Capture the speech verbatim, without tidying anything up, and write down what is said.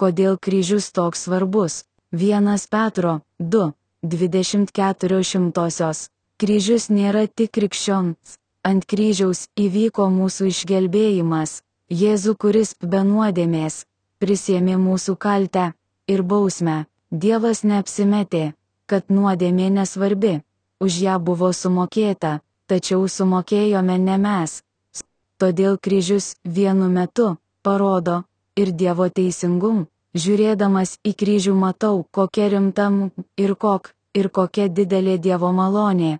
Kodėl kryžius toks svarbus? Vienas Petro du, dvidešimt keturios šimtosios. Kryžius nėra tik krikščioms. Ant kryžiaus įvyko mūsų išgelbėjimas. Jėzų, kuris be nuodėmės prisiėmė mūsų kaltę ir bausmę. Dievas neapsimetė, kad nuodėmė nesvarbi. Už ją buvo sumokėta, tačiau sumokėjome ne mes. Todėl kryžius vienu metu parodo ir Dievo teisingumą. Žiūrėdamas į kryžių matau, kokia rimta ir kok ir kokia didelė Dievo malonė.